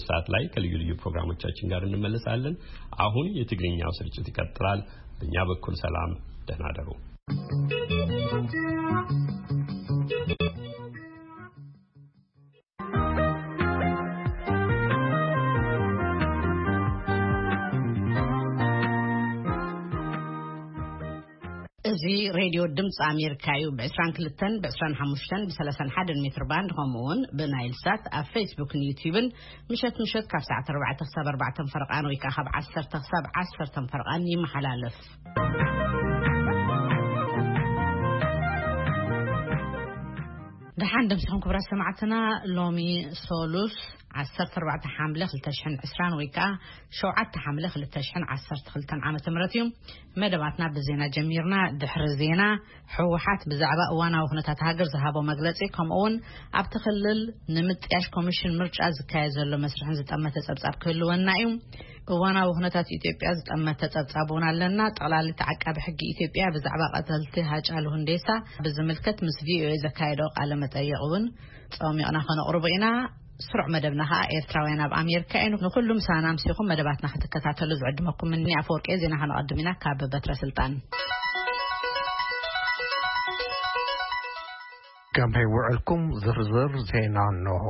ሰዓት ላይ ከልዩ ልዩ ፕሮግራሞቻችን ጋር እንመለሳለን። አሁን የትግርኛው ስርጭት ይቀጥላል። በእኛ በኩል ሰላም፣ ደህና ደሩ። እዚ ሬድዮ ድምፂ ኣሜሪካ እዩ። ብ22፣ ብ25፣ ብ31 ሜትር ባንድ፣ ከምኡ እውን ብናይል ሳት ኣብ ፌስቡክን ዩቲዩብን ምሸት ምሸት ካብ ሰዓት ኣርባዕተ ክሳብ ኣርባዕተ ፈረቓን ወይ ከዓ ካብ ዓሰርተ ክሳብ ዓሰርተ ፈረቓን ይመሓላለፍ። ደሓን ደምሲኹም ክቡራት ሰማዕትና። ሎሚ ሶሉስ ዓሰርተ ኣርባዕተ ሓምለ ክልተ ሽሕን ዕስራን ወይ ከዓ ሸውዓተ ሓምለ ክልተ ሽሕን ዓሰርተ ክልተን ዓመተ ምህረት እዩ። መደባትና ብዜና ጀሚርና። ድሕሪ ዜና፣ ህወሓት ብዛዕባ እዋናዊ ኩነታት ሃገር ዝሃቦ መግለጺ፣ ከምኡ እውን ኣብቲ ክልል ንምጥያሽ ኮሚሽን ምርጫ ዝካየድ ዘሎ መስርሕን ዝጠመተ ጸብጻብ ክህልወና እዩ። እዋናዊ ኩነታት ኢትዮጵያ ዝጠመተ ጸብጻብ እውን ኣለና። ጠቕላሊት ዓቃቢ ሕጊ ኢትዮጵያ ብዛዕባ ቀተልቲ ሃጫሉ ሁንዴሳ ብዝምልከት ምስ ቪኦኤ ዘካየዶ ቃለ መጠይቕ እውን ጸሚቕና ከነቕርቦ ኢና። ስሩዕ መደብና ኸኣ ኤርትራውያን ኣብ ኣሜሪካ እዩ። ንኹሉ ምሳና ኣምሲኹም መደባትና ክትከታተሉ ዝዕድመኩም እኒ ኣፈወርቂ። ዜና ከነቐድም ኢና ካብ በትረ ስልጣን። ከመይ ውዕልኩም? ዝርዝር ዜና እንሆ።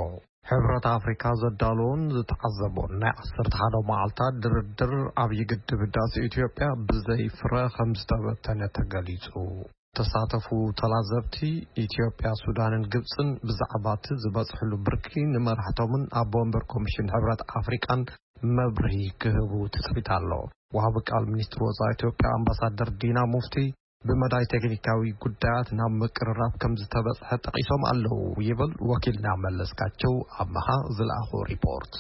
ሕብረት ኣፍሪካ ዘዳለዎን ዝተዓዘቦን ናይ ዓሰርተ ሓደ መዓልታት ድርድር ዓብዪ ግድብ ህዳሴ ኢትዮጵያ ብዘይ ፍረ ከም ዝተበተነ ተገሊጹ። ተሳተፉ ተላዘብቲ፣ ኢትዮጵያ፣ ሱዳንን ግብጽን ብዛዕባ እቲ ዝበጽሕሉ ብርኪ ንመራሕቶምን ኣቦ ወንበር ኮሚሽን ሕብረት ኣፍሪቃን መብርሂ ክህቡ ትጽቢት ኣሎ። ወሃቢ ቃል ሚኒስትሪ ወጻኢ ኢትዮጵያ ኣምባሳደር ዲና ሙፍቲ ብመዳይ ቴክኒካዊ ጉዳያት ናብ ምቅርራብ ከም ዝተበጽሐ ጠቒሶም ኣለዉ ይብል ወኪልና መለስካቸው ኣመሃ ዝለኣኾ ሪፖርት።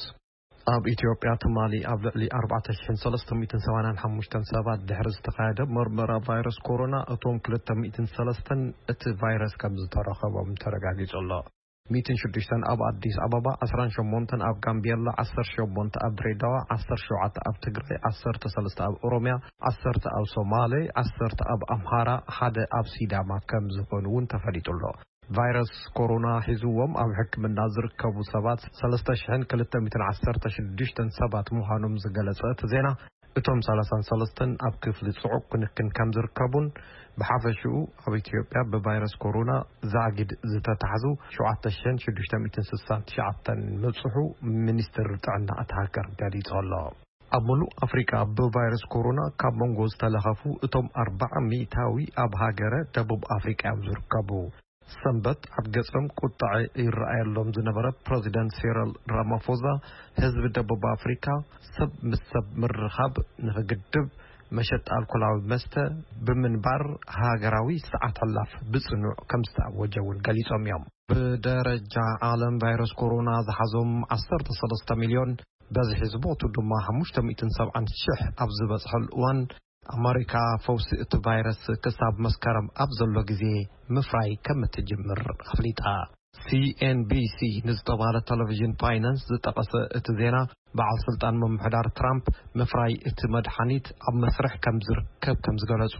ኣብ ኢትዮጵያ ትማሊ ኣብ ልዕሊ ኣርባዕተ ሽሕን ሰለስተ ሚእትን ሰማንያን ሓሙሽተን ሰባት ድሕሪ ዝተኻየደ መርመራ ቫይረስ ኮሮና፣ እቶም ክልተ ሚእትን ሰለስተን እቲ ቫይረስ ከም ዝተረኸቦም ተረጋጊጹ ኣሎ። ሚእትን ሽዱሽተን ኣብ ኣዲስ ኣበባ፣ ዓሰርተ ሸሞንተ ኣብ ጋምቤላ፣ ዓሰርተ ሸሞንተ ኣብ ድሬዳዋ፣ ዓሰርተ ሸውዓተ ኣብ ትግራይ፣ ዓሰርተ ሰለስተ ኣብ ኦሮሚያ፣ ዓሰርተ ኣብ ሶማሌ፣ ዓሰርተ ኣብ ኣምሃራ፣ ሓደ ኣብ ሲዳማ ከም ዝኾኑ እውን ተፈሊጡ ኣሎ። ቫይረስ ኮሮና ሒዝዎም ኣብ ሕክምና ዝርከቡ ሰባት ሰለስተ ሽሕን ክልተ ሚእትን ዓሰርተ ሽዱሽተን ሰባት ምዃኖም ዝገለጸ እቲ ዜና፣ እቶም ሰላሳን ሰለስተን ኣብ ክፍሊ ጽዑቕ ክንክን ከም ዝርከቡን፣ ብሓፈሽኡ ኣብ ኢትዮጵያ ብቫይረስ ኮሮና ዛጊድ ዝተታሕዙ ሸውዓተ ሽሕን ሽዱሽተ ሚእትን ስሳን ትሽዓተን ምብጽሑ ሚኒስትሪ ጥዕና እታ ሃገር ገሊጹ ኣሎ። ኣብ ምሉእ ኣፍሪቃ ብቫይረስ ኮሮና ካብ መንጎ ዝተለኸፉ እቶም ኣርባዓ ሚእታዊ ኣብ ሃገረ ደቡብ ኣፍሪቃ እዮም ዝርከቡ። ሰንበት ኣብ ገጾም ቁጥዐ ይረኣየሎም ዝነበረ ፕረዚደንት ሲሪል ራማፎዛ፣ ህዝቢ ደቡብ ኣፍሪካ ሰብ ምስ ሰብ ምርኻብ ንኽግድብ፣ መሸጣ ኣልኮላዊ መስተ ብምንባር ሃገራዊ ሰዓት ሕላፍ ብጽኑዕ ከም ዝተኣወጀ እውን ገሊጾም እዮም። ብደረጃ ዓለም ቫይረስ ኮሮና ዝሓዞም ዓሰርተ ሰለስተ ሚልዮን፣ በዝሒ ዝሞቱ ድማ ሓሙሽተ ሚእትን ሰብዓን ሽሕ ኣብ ዝበጽሐሉ እዋን፣ ኣመሪካ ፈውሲ እቲ ቫይረስ ክሳብ መስከረም ኣብ ዘሎ ግዜ ምፍራይ ከም እትጅምር ኣፍሊጣ። ሲኤንቢሲ ንዝተባህለ ቴሌቪዥን ፋይናንስ ዝጠቐሰ እቲ ዜና፣ በዓል ስልጣን ምምሕዳር ትራምፕ ምፍራይ እቲ መድሓኒት ኣብ መስርሕ ከም ዝርከብ ከም ዝገለጹ፣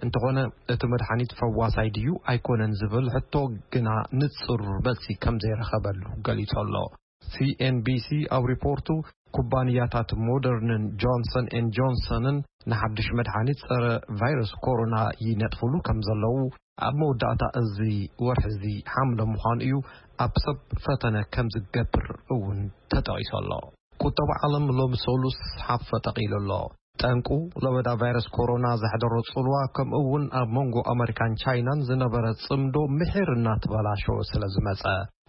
እንተኾነ እቲ መድሓኒት ፈዋሳይ ድዩ ኣይኮነን ዝብል ሕቶ ግና ንጹር መልሲ ከም ዘይረኸበሉ ገሊጹ ኣሎ። ሲኤንቢሲ ኣብ ሪፖርቱ፣ ኩባንያታት ሞደርንን ጆንሰን ኤን ጆንሰንን ንሓድሽ መድሓኒት ጸረ ቫይረስ ኮሮና ይነጥፍሉ ከም ዘለዉ፣ ኣብ መወዳእታ እዚ ወርሒ እዚ ሓምለ ምዃኑ እዩ ኣብ ሰብ ፈተነ ከም ዝገብር እውን ተጠቒሱ ኣሎ። ቁጠባ ዓለም ሎሚ ሰሉስ ሓፍ ተቒሉ ኣሎ። ጠንቁ፣ ለበዳ ቫይረስ ኮሮና ዘሕደሮ ጽልዋ፣ ከምኡ እውን ኣብ መንጎ ኣመሪካን ቻይናን ዝነበረ ጽምዶ ምሒር እናተበላሸወ ስለ ዝመጸ።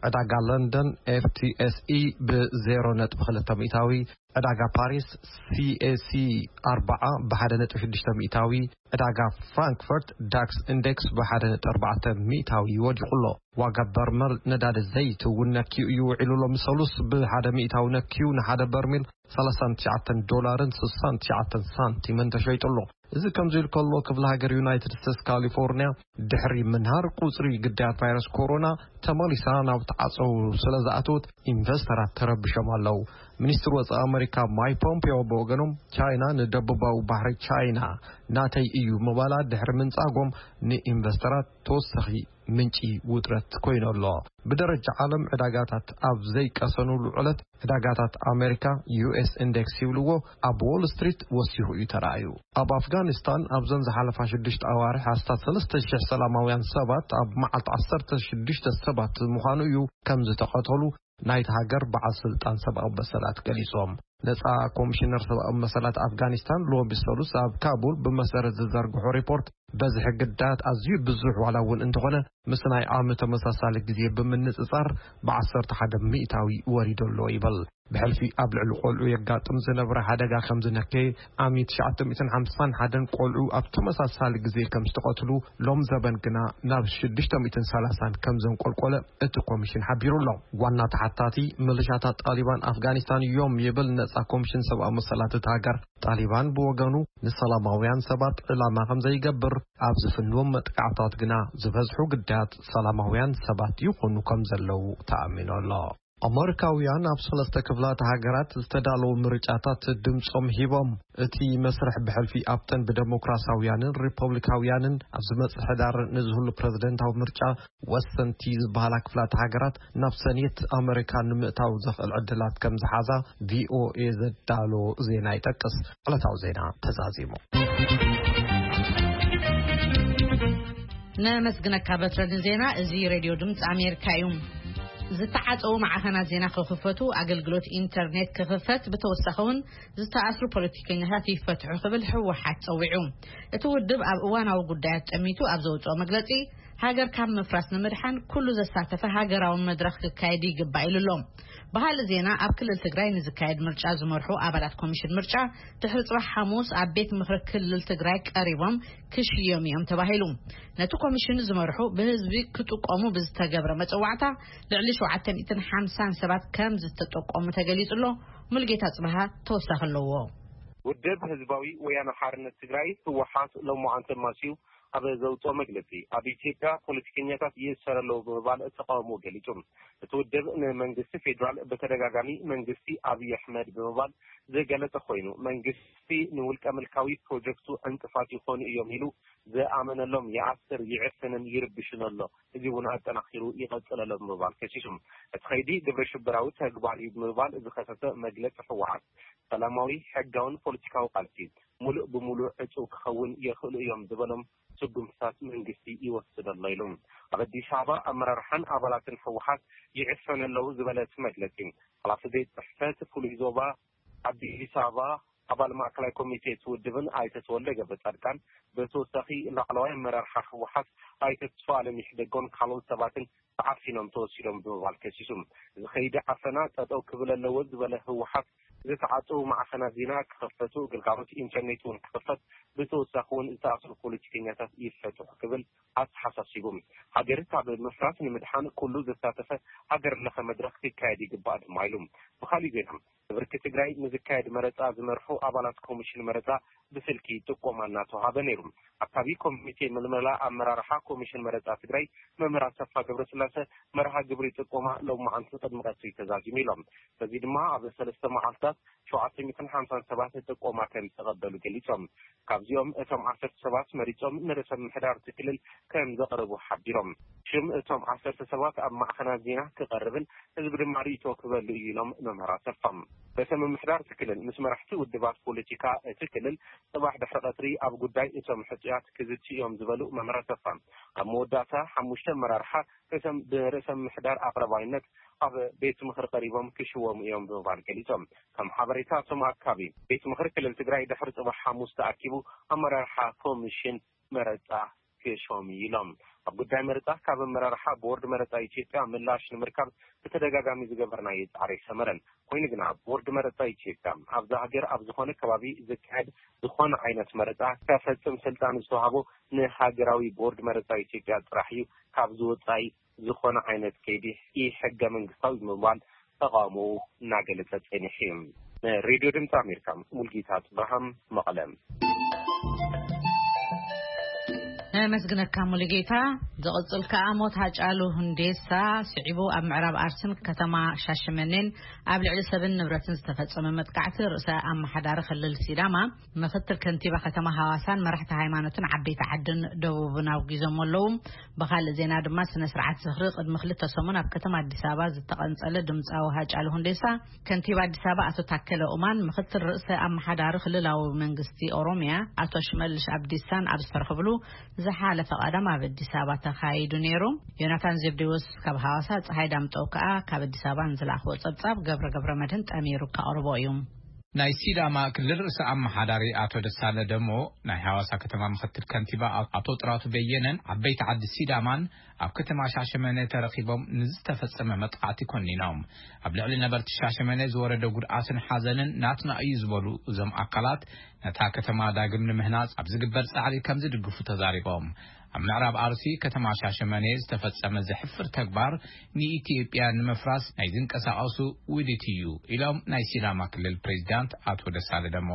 ዕዳጋ ለንደን ኤፍቲኤስኢ ብ ዜሮ ነጥቢ ክልተ ሚእታዊ፣ ዕዳጋ ፓሪስ ሲኤሲ ኣርባዓ ብ ሓደ ነጥቢ ሽዱሽተ ሚእታዊ፣ ዕዳጋ ፍራንክፈርት ዳክስ ኢንዴክስ ብ ሓደ ነጥቢ ኣርባዕተ ሚእታዊ ወዲቑ ኣሎ። ዋጋ በርመል ነዳዲ ዘይት እውን ነክዩ እዩ ውዒሉ። ሎሚ ሰሉስ ብ ሓደ ሚእታዊ ነክዩ ንሓደ በርሚል ሰላሳን ትሽዓተን ዶላርን ስሳን ትሽዓተን ሳንቲምን ተሸይጡ ኣሎ። እዚ ከምዚ ኢሉ ከሎ፣ ክፍለ ሃገር ዩናይትድ ስቴትስ ካሊፎርኒያ ድሕሪ ምንሃር ቁጽሪ ግዳያት ቫይረስ ኮሮና ተመሊሳ ናብ ተዓጸው ስለ ዝኣተወት፣ ኢንቨስተራት ተረቢሾም ኣለዉ። ሚኒስትሪ ወጻኢ ኣመሪካ ካብ ማይክ ፖምፒዮ ብወገኖም፣ ቻይና ንደቡባዊ ባሕሪ ቻይና ናተይ እዩ ምባላ ድሕሪ ምንጻጎም፣ ንኢንቨስተራት ተወሳኺ ምንጪ ውጥረት ኮይኑ ኣሎ። ብደረጃ ዓለም ዕዳጋታት ኣብ ዘይቀሰኑሉ ዕለት፣ ዕዳጋታት ኣሜሪካ፣ ዩ ኤስ ኢንዴክስ ይብልዎ፣ ኣብ ዎል ስትሪት ወሲኹ እዩ ተራእዩ። ኣብ ኣፍጋኒስታን ኣብዘን ዝሓለፋ ሽዱሽተ ኣዋርሕ ኣስታት ሰለስተ ሽሕ ሰላማውያን ሰባት፣ ኣብ መዓልቲ ዓሰርተ ሽዱሽተ ሰባት ምዃኑ እዩ፣ ከም ዝተቐተሉ ናይቲ ሃገር በዓል ስልጣን ሰብኣዊ መሰላት ገሊጾም። ነጻ ኮሚሽነር ሰብኣዊ መሰላት ኣፍጋኒስታን ሎሚ ሰሉስ ኣብ ካቡል ብመሰረት ዝዘርግሖ ሪፖርት፣ በዝሒ ግዳያት ኣዝዩ ብዙሕ ዋላ እውን እንተኾነ፣ ምስ ናይ ዓሚ ተመሳሳሊ ግዜ ብምንጽጻር ብዓሰርተ ሓደ ሚእታዊ ወሪዱ ኣሎ ይብል። ብሕልፊ ኣብ ልዕሊ ቆልዑ የጋጥም ዝነበረ ሓደጋ ከም ዝነከየ፣ ዓሚ ትሽዓተ ሚእትን ሓምሳን ሓደን ቆልዑ ኣብ ተመሳሳሊ ግዜ ከም ዝተቐትሉ፣ ሎም ዘበን ግና ናብ ሽዱሽተ ሚእትን ሰላሳን ከም ዘንቆልቆለ እቲ ኮሚሽን ሓቢሩ ኣሎ። ዋና ተሓታቲ፣ ምልሻታት ጣሊባን ኣፍጋኒስታን እዮም ይብል ነጻ ኮሚሽን ሰብኣዊ መሰላት እቲ ሃገር። ጣሊባን ብወገኑ፣ ንሰላማውያን ሰባት ዕላማ ከም ዘይገብር፣ ኣብ ዝፍንዎም መጥቃዕታት ግና ዝበዝሑ ግዳያት ሰላማውያን ሰባት ይኾኑ ከም ዘለዉ ተኣሚኑ ኣሎ። ኣመሪካውያን ኣብ ሰለስተ ክፍላተ ሃገራት ዝተዳለዉ ምርጫታት ድምጾም ሂቦም። እቲ መስርሕ ብሕልፊ ኣብተን ብደሞክራሳውያንን ሪፐብሊካውያንን ኣብ ዝመጽእ ሕዳር ንዝህሉ ፕረዚደንታዊ ምርጫ ወሰንቲ ዝበሃላ ክፍላተ ሃገራት ናብ ሰኔት ኣመሪካ ንምእታው ዘኽእል ዕድላት ከም ዝሓዛ ቪ ኦ ኤ ዘዳሎ ዜና ይጠቅስ። ዕለታዊ ዜና ተዛዚሙ። ነመስግነካ በትረ ንዜና። እዚ ሬድዮ ድምፂ ኣሜሪካ እዩ። ዝተዓፀዉ ማዕኸናት ዜና ክኽፈቱ፣ ኣገልግሎት ኢንተርኔት ክኽፈት፣ ብተወሳኺ እውን ዝተኣስሩ ፖለቲከኛታት ይፈትሑ ክብል ህወሓት ፀዊዑ። እቲ ውድብ ኣብ እዋናዊ ጉዳያት ጠሚቱ ኣብ ዘውፅኦ መግለፂ፣ ሃገር ካብ ምፍራስ ንምድሓን ኩሉ ዘሳተፈ ሃገራዊ መድረኽ ክካየድ ይግባእ ኢሉ ኣሎ። ብኻልእ ዜና፣ ኣብ ክልል ትግራይ ንዝካየድ ምርጫ ዝመርሑ ኣባላት ኮሚሽን ምርጫ ድሕሪ ፅባሕ ሓሙስ ኣብ ቤት ምኽሪ ክልል ትግራይ ቀሪቦም ክሽየሙ እዮም ተባሂሉ። ነቲ ኮሚሽን ዝመርሑ ብህዝቢ ክጥቀሙ ብዝተገብረ መፀዋዕታ ልዕሊ ሸውዓተ ሚእትን ሓምሳን ሰባት ከም ዝተጠቆሙ ተገሊጹ ኣሎ። ሙልጌታ ጽብሃ ተወሳኺ ኣለዎ። ውድብ ህዝባዊ ወያነ ሓርነት ትግራይ፣ ህወሓት፣ ሎማዓንቲ ኣማስዩ ኣብ ዘውፅኦ መግለፂ፣ ኣብ ኢትዮጵያ ፖለቲከኛታት ይእሰር ኣለዉ ብምባል ተቃውሞ ገሊጹ። እቲ ውድብ ንመንግስቲ ፌዴራል ብተደጋጋሚ መንግስቲ ኣብይ ኣሕመድ ብምባል ዝገለጸ ኮይኑ፣ መንግስቲ ንውልቀ ምልካዊ ፕሮጀክቱ ዕንቅፋት ይኾኑ እዮም ኢሉ ዝኣመነሎም ይኣስር፣ ይዕፍንን ይርብሽን ኣሎ። እዚ እውን ኣጠናኺሩ ይቐጽል ኣሎ ብምባል ከሲሱ። እቲ ኸይዲ ግብረ ሽበራዊ ተግባር እዩ ብምባል ዝኸሰሰ መግለጺ ህወሓት፣ ሰላማዊ፣ ሕጋውን ፖለቲካዊ ቃልሲ ሙሉእ ብሙሉእ ዕጹው ክኸውን የኽእሉ እዮም ዝበሎም ስጉምትታት መንግስቲ ይወስድ ኣሎ ኢሉ። ኣብ ኣዲስ ኣበባ ኣመራርሓን ኣባላትን ህወሓት ይዕፈኑ ኣለዉ ዝበለ እቲ መግለጺ፣ ሓላፊ ቤት ጽሕፈት ፍሉይ ዞባ ኣዲስ ኣበባ፣ ኣባል ማእከላይ ኮሚቴ እቲ ውድብን ኣይተ ተወልደ ገብረ ጻድቃን፣ ብተወሳኺ ላዕለዋይ ኣመራርሓ ህወሓት ኣይተ ተስፋኣለም ይሕደጎን ካልኦት ሰባትን ተዓፊኖም ተወሲዶም ብምባል ከሲሱ። እዚ ኸይዲ ዓፈና ጠጠው ክብል ኣለዎ ዝበለ ህወሓት፣ ዝተዓፀዉ ማዕኸናት ዜና ክኸፈቱ፣ ግልጋሎት ኢንተርኔት እውን ክኸፈት፣ ብተወሳኺ እውን ዝተኣስሩ ፖለቲከኛታት ይፈትሑ ክብል ኣተሓሳሲቡ። ሃገር ካብ ምፍራስ ንምድሓን ኩሉ ዘሳተፈ ሃገር ለኸ መድረኽ ክካየድ ይግባእ ድማ ኢሉ። ብኻሊእ ዜና፣ ብብርኪ ትግራይ ንዝካየድ መረፃ ዝመርሑ ኣባላት ኮሚሽን መረፃ ብስልኪ ጥቆማ እናተዋሃበ ነይሩ። ኣካቢ ኮሚቴ ምልመላ ኣመራርሓ ኮሚሽን መረፃ ትግራይ መምህር ኣሰፋ ገብረስላሴ፣ መርሃ ግብሪ ጥቆማ ሎማዓንቲ ቅድሚ ቀትሪ ተዛዚሙ ኢሎም። በዚ ድማ ኣብ ሰለስተ መዓልታት ሸውዓተ ሚእትን ሓምሳን ሰባት ጥቆማ ከም ዝተቐበሉ ገሊጾም። ካብዚኦም እቶም ዓሰርተ ሰባት መሪጾም ንርእሰ ምምሕዳር እቲ ክልል ከም ዘቕርቡ ሓቢሮም። ሽም እቶም ዓሰርተ ሰባት ኣብ ማዕኸናት ዜና ክቐርብን ህዝቢ ድማ ርእይቶ ክበሉ እዩ ኢሎም መምህር ኣሰፋ። ርእሰ ምምሕዳር እቲ ክልል ምስ መራሕቲ ውድባት ፖለቲካ እቲ ክልል ጽባሕ ድሕሪ ቀትሪ ኣብ ጉዳይ እቶም ሕጹያት ክዝትዩ እዮም ዝበሉ መምህር ኣሰፋ፣ ኣብ መወዳእታ ሓሙሽተ ኣመራርሓ ርእሰ-፣ ብርእሰ ምምሕዳር ኣቕረባይነት ኣብ ቤት ምኽሪ ቀሪቦም ክሽወሙ እዮም ብምባል ገሊጾም። ከም ሓበሬታ እቶም ኣካቢ፣ ቤት ምኽሪ ክልል ትግራይ ድሕሪ ጽባሕ ሓሙስ ተኣኪቡ ኣመራርሓ ኮሚሽን መረጻ ክሾም እዩ ኢሎም። ኣብ ጉዳይ መረጻ ካብ ኣመራርሓ ቦርድ መረጻ ኢትዮጵያ ምላሽ ንምርካብ ብተደጋጋሚ ዝገበርናዮ ጻዕሪ ኣይሰመረን። ኮይኑ ግና ቦርድ መረጻ ኢትዮጵያ ኣብዛ ሃገር ኣብ ዝኾነ ከባቢ ዝካየድ ዝኾነ ዓይነት መረጻ ከፈጽም ስልጣን ዝተዋህቦ ንሃገራዊ ቦርድ መረጻ ኢትዮጵያ ጥራሕ እዩ፣ ካብዚ ወጻኢ ዝኾነ ዓይነት ከይዲ ኢ-ሕገ መንግስታዊ ብምባል ተቃውሞኡ እናገለጸ ጸኒሑ እዩ። ንሬድዮ ድምፂ ኣሜሪካ፣ ሙልጌታ ጽብርሃም፣ መቐለ። ነመስግነካ ሙሉጌታ። ዝቕጽል ከኣ ሞት ሃጫሉ ሁንዴሳ ስዒቡ ኣብ ምዕራብ ኣርሲን ከተማ ሻሸመኔን ኣብ ልዕሊ ሰብን ንብረትን ዝተፈጸመ መጥቃዕቲ ርእሰ ኣመሓዳሪ ክልል ሲዳማ፣ ምኽትል ከንቲባ ከተማ ሃዋሳን መራሕቲ ሃይማኖትን ዓበይቲ ዓድን ደቡብን ኣውጊዞም ኣለዉ። ብኻልእ ዜና ድማ ስነ ስርዓት ዝኽሪ ቅድሚ ክልተ ሰሙን ኣብ ከተማ ኣዲስ ኣበባ ዝተቐንጸለ ድምጻዊ ሃጫሉ ሁንዴሳ ከንቲባ ኣዲስ ኣበባ ኣቶ ታከለ ኡማን ምኽትል ርእሰ ኣመሓዳሪ ክልላዊ መንግስቲ ኦሮሚያ ኣቶ ሽመልሽ ኣብዲሳን ኣብ ዝተረኽብሉ ዝሓለፈ ቀዳም ኣብ ኣዲስ ኣበባ ተኻይዱ ነይሩ። ዮናታን ዘብዴዎስ ካብ ሃዋሳ፣ ፀሓይ ዳምጠው ከኣ ካብ ኣዲስ ኣበባ ንዝለኣኽዎ ጸብጻብ ገብረ ገብረ መድህን ጠሚሩ ከቕርቦ እዩ። ናይ ሲዳማ ክልል ርእሰ ኣመሓዳሪ ኣቶ ደሳለ ደሞ፣ ናይ ሃዋሳ ከተማ ምኽትል ከንቲባ ኣቶ ጥራቱ በየነን ዓበይቲ ዓዲ ሲዳማን ኣብ ከተማ ሻሸመኔ ተረኺቦም ንዝተፈጸመ መጥቃዕቲ ኮኒኖም። ኣብ ልዕሊ ነበርቲ ሻሸመኔ ዝወረደ ጉድኣትን ሓዘንን ናትና እዩ ዝበሉ እዞም ኣካላት፣ ነታ ከተማ ዳግም ንምህናጽ ኣብ ዝግበር ጻዕሪ ከም ዝድግፉ ተዛሪቦም። ኣብ ምዕራብ ኣርሲ ከተማ ሻሸመኔ ዝተፈጸመ ዘሕፍር ተግባር ንኢትዮጵያ ንምፍራስ ናይ ዝንቀሳቐሱ ውዲት እዩ ኢሎም ናይ ሲዳማ ክልል ፕሬዚዳንት ኣቶ ደሳለ ደሞ።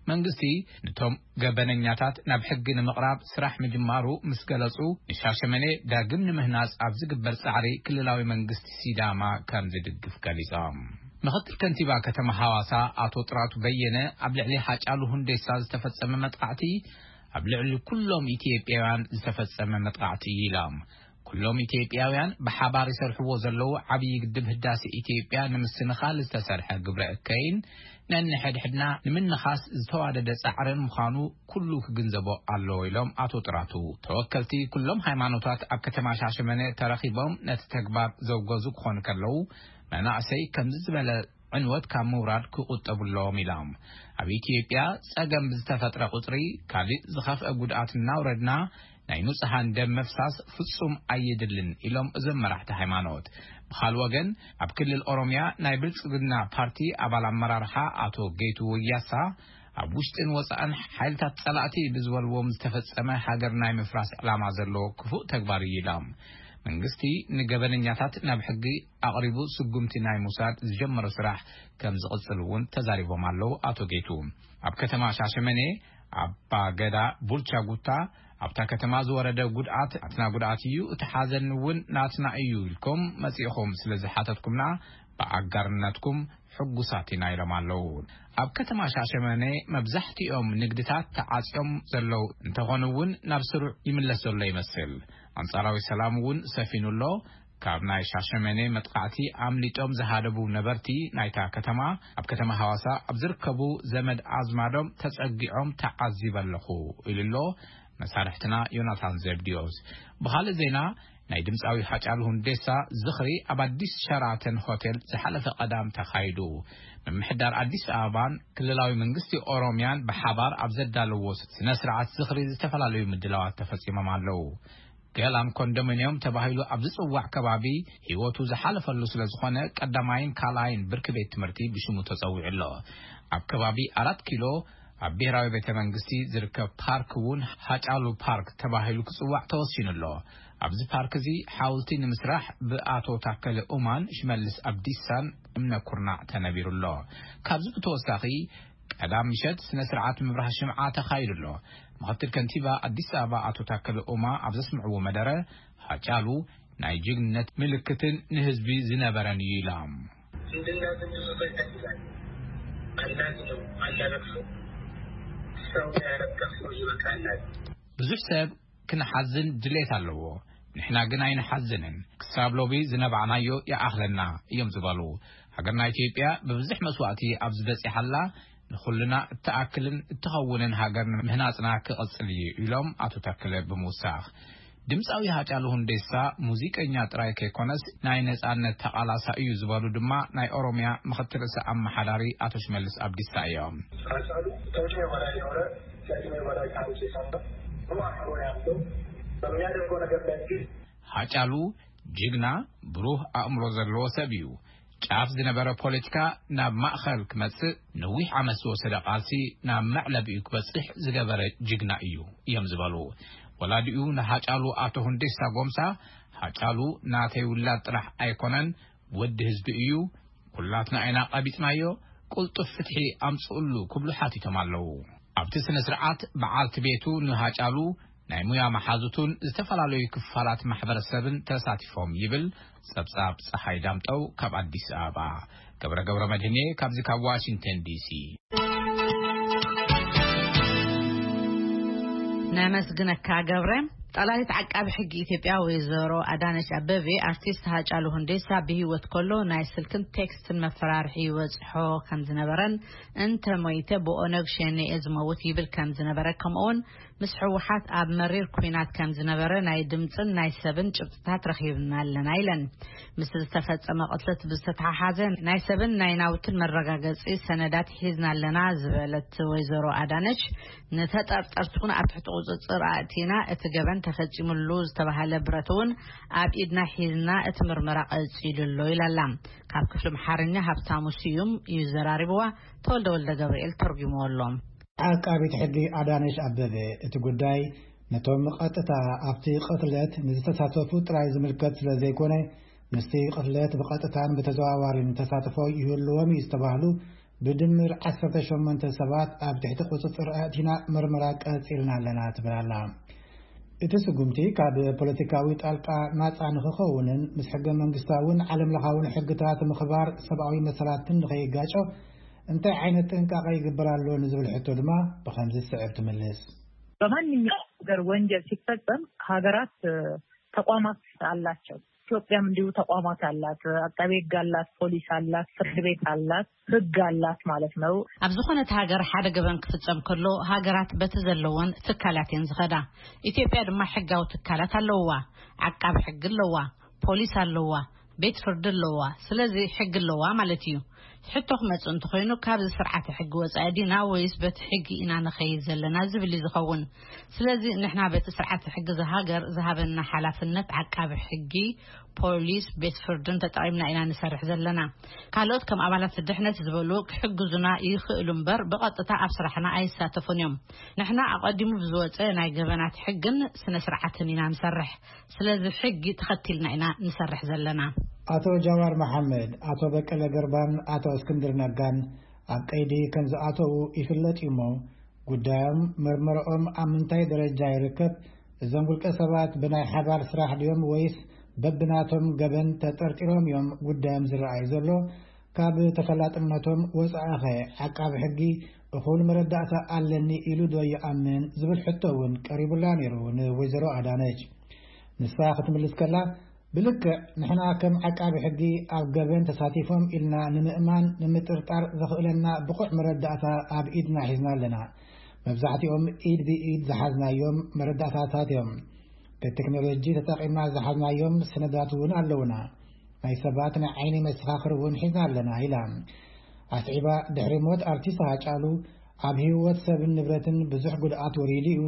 መንግስቲ ነቶም ገበነኛታት ናብ ሕጊ ንምቕራብ ስራሕ ምጅማሩ ምስ ገለጹ፣ ንሻሸመኔ ዳግም ንምህናጽ ኣብ ዝግበር ጻዕሪ ክልላዊ መንግስቲ ሲዳማ ከም ዝድግፍ ገሊጾም። ምኽትል ከንቲባ ከተማ ሃዋሳ ኣቶ ጥራቱ በየነ፣ ኣብ ልዕሊ ሃጫሉ ሁንዴሳ ዝተፈጸመ መጥቃዕቲ ኣብ ልዕሊ ኩሎም ኢትዮጵያውያን ዝተፈጸመ መጥቃዕቲ እዩ ኢሎም። ኩሎም ኢትዮጵያውያን ብሓባር ይሰርሕዎ ዘለዉ ዓብዪ ግድብ ህዳሴ ኢትዮጵያ ንምስንኻል ዝተሰርሐ ግብረ እከይን ነንሕድሕድና ንምንኻስ ዝተዋደደ ጻዕርን ምዃኑ ኩሉ ክግንዘቦ ኣለዎ ኢሎም ኣቶ ጥራቱ። ተወከልቲ ኩሎም ሃይማኖታት ኣብ ከተማ ሻሸመኔ ተረኺቦም ነቲ ተግባር ዘውገዙ ክኾኑ ከለዉ፣ መናእሰይ ከምዚ ዝበለ ዕንወት ካብ ምውራድ ክቑጠቡ ኣለዎም ኢሎም። ኣብ ኢትዮጵያ ጸገም ብዝተፈጥረ ቁጽሪ፣ ካልእ ዝኸፍአ ጉድኣት እናውረድና ናይ ንጹሃን ደም ምፍሳስ ፍጹም ኣየድልን ኢሎም እዞም መራሕቲ ሃይማኖት። ብኻልእ ወገን፣ ኣብ ክልል ኦሮምያ ናይ ብልጽግና ፓርቲ ኣባል ኣመራርሓ ኣቶ ጌቱ ወያሳ፣ ኣብ ውሽጥን ወጻእን ሓይልታት ጸላእቲ ብዝበልዎም ዝተፈጸመ ሃገር ናይ ምፍራስ ዕላማ ዘለዎ ክፉእ ተግባር እዩ ኢሎም። መንግስቲ ንገበነኛታት ናብ ሕጊ ኣቕሪቡ ስጉምቲ ናይ ምውሳድ ዝጀመሮ ስራሕ ከም ዝቕጽል እውን ተዛሪቦም ኣለዉ ኣቶ ጌቱ። ኣብ ከተማ ሻሸመኔ ኣባ ገዳ ቡልቻ ጉታ፣ ኣብታ ከተማ ዝወረደ ጉድኣት ናትና ጉድኣት እዩ፣ እቲ ሓዘን እውን ናትና እዩ ኢልኩም መጺእኹም ስለ ዝሓተትኩምና ብኣጋርነትኩም ሕጉሳት ኢና ኢሎም ኣለዉ። ኣብ ከተማ ሻሸመኔ መብዛሕትኦም ንግድታት ተዓጽዮም ዘለዉ እንተኾኑ እውን ናብ ስሩዕ ይምለስ ዘሎ ይመስል። ኣንጻራዊ ሰላም እውን ሰፊኑ ኣሎ። ካብ ናይ ሻሸመኔ መጥቃዕቲ ኣምሊጦም ዝሃደቡ ነበርቲ ናይታ ከተማ፣ ኣብ ከተማ ሃዋሳ ኣብ ዝርከቡ ዘመድ ኣዝማዶም ተጸጊዖም ተዓዚበ ኣለኹ ኢሉ ኣሎ መሳርሕትና ዮናታን ዘብድዮስ። ብኻልእ ዜና፣ ናይ ድምጻዊ ሃጫሉ ሁንዴሳ ዝኽሪ ኣብ ኣዲስ ሸራተን ሆቴል ዝሓለፈ ቀዳም ተኻይዱ። ምምሕዳር ኣዲስ ኣበባን ክልላዊ መንግስቲ ኦሮምያን ብሓባር ኣብ ዘዳለዎ ስነ ስርዓት ዝኽሪ ዝተፈላለዩ ምድላዋት ተፈጺሞም ኣለዉ። ገላን ኮንዶሚንዮም ተባሂሉ ኣብ ዝጽዋዕ ከባቢ ህይወቱ ዝሓለፈሉ ስለ ዝኾነ፣ ቀዳማይን ካልኣይን ብርኪ ቤት ትምህርቲ ብሽሙ ተጸዊዑ ኣሎ። ኣብ ከባቢ ኣራት ኪሎ ኣብ ብሔራዊ ቤተ መንግስቲ ዝርከብ ፓርክ እውን ሃጫሉ ፓርክ ተባሂሉ ክጽዋዕ ተወሲኑ ኣሎ። ኣብዚ ፓርክ እዚ ሓውልቲ ንምስራሕ ብኣቶ ታከለ ኡማን ሽመልስ ኣብዲሳን እምነ ኩርናዕ ተነቢሩ ኣሎ። ካብዚ ብተወሳኺ፣ ቀዳም ምሸት ስነ ስርዓት ምብራህ ሽምዓ ተኻይዱ ኣሎ። ምኽትል ከንቲባ ኣዲስ ኣበባ ኣቶ ታከለ ኡማ ኣብ ዘስምዕዎ መደረ፣ ሃጫሉ ናይ ጅግንነት ምልክትን ንህዝቢ ዝነበረን እዩ ኢሎም። ዝንድና ዝንድሱ ዘይጠቅሳል። ኣላዝነው፣ ኣላረግፉ፣ ሰው ያረቀፉ ይበቃናል። ብዙሕ ሰብ ክንሓዝን ድሌት ኣለዎ። ንሕና ግን ኣይንሓዝንን። ክሳብ ሎሚ ዝነባዕናዮ ይኣኽለና እዮም ዝበሉ። ሃገርና ኢትዮጵያ ብብዙሕ መስዋእቲ ኣብዚ በጺሓላ፣ ንኹልና እትኣክልን እትኸውንን ሃገር ምህናጽና ክቕጽል እዩ ኢሎም ኣቶ ታከለ ብምውሳኽ። ድምፃዊ ሃጫሉ ሁንዴሳ ሙዚቀኛ ጥራይ ከይኮነስ ናይ ነጻነት ተቓላሳይ እዩ ዝበሉ ድማ ናይ ኦሮሚያ ምኽትል ርእሰ ኣመሓዳሪ ኣቶ ሽመልስ ኣብዲሳ እዮም። ሃጫሉ ከእድሜው በላይ የሆነ፣ ከእድሜው በላይ ታሪክ የሰራ፣ ብሩህ አእምሮ ያለው፣ በሚያደርገው ነገር ላይ ግን ሃጫሉ ጅግና፣ ብሩህ ኣእምሮ ዘለዎ ሰብ እዩ። ጫፍ ዝነበረ ፖለቲካ ናብ ማእኸል ክመጽእ ነዊሕ ዓመት ዝወሰደ ቃልሲ ናብ መዕለቢኡ ክበጽሕ ዝገበረ ጅግና እዩ እዮም ዝበሉ ወላዲኡ ንሃጫሉ ኣቶ ሁንዴሳ ጎምሳ። ሃጫሉ ናተይ ውላድ ጥራሕ ኣይኮነን፣ ወዲ ህዝቢ እዩ። ኩላትና ኢና ቀቢጽናዮ። ቁልጡፍ ፍትሒ ኣምጽኡሉ ክብሉ ሓቲቶም ኣለዉ። ኣብቲ ስነ ስርዓት በዓልቲ ቤቱ ንሃጫሉ ናይ ሙያ መሓዙቱን ዝተፈላለዩ ክፋላት ማሕበረሰብን ተሳቲፎም ይብል ጸብጻብ ጸሓይ ዳምጠው ካብ ኣዲስ ኣበባ። ገብረ ገብረ መድህኔ ካብዚ ካብ ዋሽንግተን ዲሲ። ነመስግነካ ገብረ። ጠላሊት ዓቃቢ ሕጊ ኢትዮጵያ ወይዘሮ ኣዳነች ኣበቤ፣ ኣርቲስት ሃጫሉ ሁንዴሳ ብህይወት ከሎ ናይ ስልክን ቴክስትን መፈራርሒ ይበጽሖ ከም ዝነበረን፣ እንተ ሞይተ ብኦነግ ሸኔ እየ ዝመውት ይብል ከም ዝነበረ፣ ከምኡውን ምስ ህወሓት ኣብ መሪር ኲናት ከም ዝነበረ ናይ ድምጽን ናይ ሰብን ጭብጥታት ረኺብና ኣለና ኢለን። ምስ ዝተፈጸመ ቅትለት ብዝተተሓሓዘ ናይ ሰብን ናይ ናውትን መረጋገጺ ሰነዳት ሒዝና ኣለና ዝበለት ወይዘሮ ኣዳነች፣ ንተጠርጠርቲ እውን ኣብ ትሕቲ ቁጽጽር ኣእቲና፣ እቲ ገበን ተፈጺሙሉ ዝተባህለ ብረት እውን ኣብ ኢድና ሒዝና እቲ ምርመራ ቀጺሉ ኣሎ ኢላ ኣላ። ካብ ክፍሊ ኣምሓርኛ ሃብታሙ ስዩም እዩ ዘራሪብዋ፣ ተወልደ ወልደ ገብርኤል ተርጉምዎ ኣሎ። ዓቃቢት ሕጊ ኣዳነሽ ኣበበ፣ እቲ ጉዳይ ነቶም ቀጥታ ኣብቲ ቅትለት ንዝተሳተፉ ጥራይ ዝምልከት ስለ ዘይኮነ፣ ምስቲ ቅትለት ብቐጥታን ብተዘዋዋሪን ተሳትፎ ይህልዎም እዩ ዝተባህሉ ብድምር ዓሰርተ ሸሞንተ ሰባት ኣብ ትሕቲ ቁጽጽር ኣእቲና ምርመራ ቀጺልና ኣለና ትብል ኣላ። እቲ ስጉምቲ ካብ ፖለቲካዊ ጣልቃ ናጻ ንኽኸውንን ምስ ሕገ መንግስታውን ዓለም ለኻውን ሕግታት ምኽባር ሰብኣዊ መሰላትን ንኸይጋጮ እንታይ ዓይነት ጥንቃቐ ይግበር ኣሎ ንዝብል ሕቶ ድማ ብኸምዚ ዝስዕብ ትምልስ። በማንኛውም ሀገር ወንጀል ሲፈጸም ሀገራት እ፣ ተቋማት አላቸው። ኢትዮጵያም እንዲሁ ተቋማት አላት። አቃቤ ህግ አላት፣ ፖሊስ አላት፣ ፍርድ ቤት አላት፣ ህግ አላት ማለት ነው። ኣብ ዝኾነት ሃገር ሓደ ገበን ክፍጸም ከሎ ሃገራት በቲ ዘለወን ትካላት እየን ዝኸዳ። ኢትዮጵያ ድማ ሕጋዊ ትካላት ኣለውዋ። ዓቃቢ ሕጊ ኣለዋ፣ ፖሊስ ኣለዋ፣ ቤት ፍርዲ ኣለዋ። ስለዚ ሕጊ ኣለዋ ማለት እዩ። ሕቶ ክመጽእ እንተኾይኑ፣ ካብዚ ስርዓተ ሕጊ ወጻኢ ዲና ወይስ በቲ ሕጊ ኢና ንኸይድ ዘለና ዝብል እዩ ዝኸውን። ስለዚ ንሕና በቲ ስርዓተ ሕጊ ዝሃገር ዝሃበና ሓላፍነት ዓቃቢ ሕጊ፣ ፖሊስ፣ ቤት ፍርድን ተጠቒምና ኢና ንሰርሕ ዘለና። ካልኦት ከም ኣባላት ድሕነት ዝበሉ ክሕግዙና ይኽእሉ እምበር ብቐጥታ ኣብ ስራሕና ኣይሳተፉን እዮም። ንሕና ኣቐዲሙ ብዝወጸ ናይ ገበናት ሕግን ስነ ስርዓትን ኢና ንሰርሕ። ስለዚ ሕጊ ተኸቲልና ኢና ንሰርሕ ዘለና። ኣቶ ጃዋር መሓመድ፣ ኣቶ በቀለ ገርባን ኣቶ እስክንድር ነጋን ኣብ ቀይዲ ከም ዝኣተዉ ይፍለጥ እዩ እሞ፣ ጉዳዮም መርመረኦም ኣብ ምንታይ ደረጃ ይርከብ? እዞም ውልቀ ሰባት ብናይ ሓባር ስራሕ ድዮም ወይስ በብናቶም ገበን ተጠርጢሮም እዮም ጉዳዮም ዝረኣይ ዘሎ? ካብ ተፈላጥነቶም ወጻኢኸ ዓቃቢ ሕጊ እኹል መረዳእታ ኣለኒ ኢሉ ዶ ይኣምን ዝብል ሕቶ እውን ቀሪቡላ ነይሩ ንወይዘሮ ኣዳነች። ንሳ ክትምልስ ከላ፣ ብልክዕ ንሕና ከም ዓቃቢ ሕጊ ኣብ ገበን ተሳቲፎም ኢልና ንምእማን ንምጥርጣር ዘኽእለና ብቑዕ መረዳእታ ኣብ ኢድና ሒዝና ኣለና። መብዛሕትኦም ኢድ ብኢድ ዝሓዝናዮም መረዳእታታት እዮም። ብቴክኖሎጂ ተጠቒምና ዝሓዝናዮም ሰነዳት እውን ኣለውና። ናይ ሰባት ናይ ዓይኒ መሰኻኽር እውን ሒዝና ኣለና ኢላ። ኣስዒባ፣ ድሕሪ ሞት ኣርቲስት ሃጫሉ ኣብ ህይወት ሰብን ንብረትን ብዙሕ ጉድኣት ወሪዱ እዩ።